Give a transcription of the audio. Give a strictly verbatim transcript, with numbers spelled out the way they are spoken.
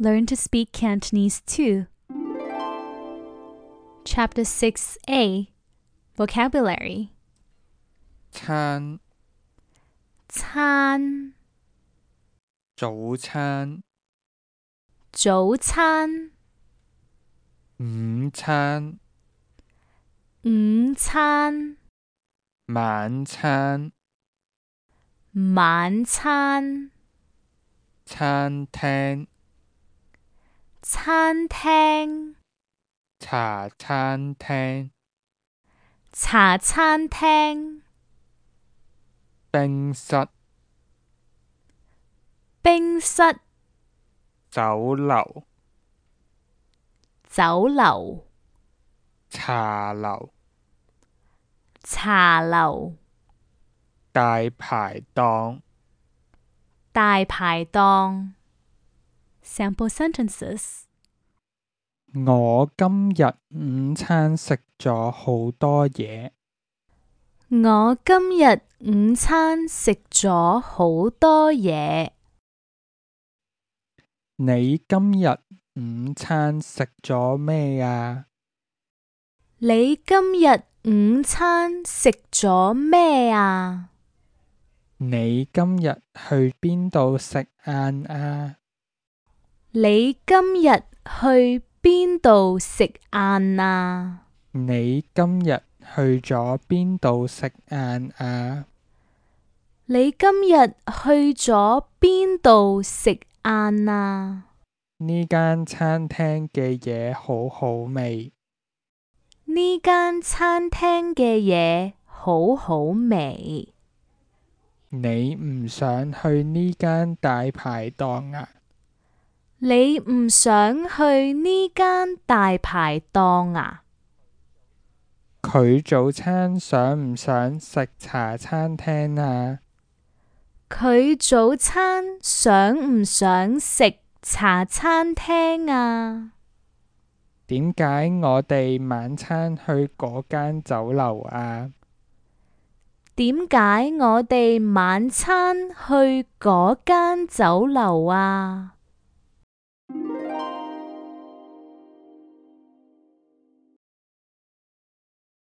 Learn to speak Cantonese too. Chapter six A. Vocabulary. 餐 餐 早餐 早餐 午餐 午餐 晚餐 晚餐 餐廳 餐廳 茶餐廳 茶餐廳 冰室 冰室 酒樓 酒樓 茶樓 茶樓 大排檔 大排檔 Sample sentences. 我今日午餐食咗好多嘢。我今日午餐食咗好多嘢。你今日午餐食咗咩啊？你今日午餐食咗咩啊？你今日去邊度食晏啊？你今日去邊度食晏啊？你今日去咗邊度食晏啊？你今日去咗邊度食晏啊？呢間餐廳嘅嘢好好味。呢間餐廳嘅嘢好好味。你唔想去呢間大排檔啊？你唔想去呢間大排檔啊？佢早餐想唔想食茶餐廳啊？佢早餐想唔想食茶餐廳啊？點解我哋晚餐去嗰間酒樓啊？點解我哋晚餐去嗰間酒樓啊？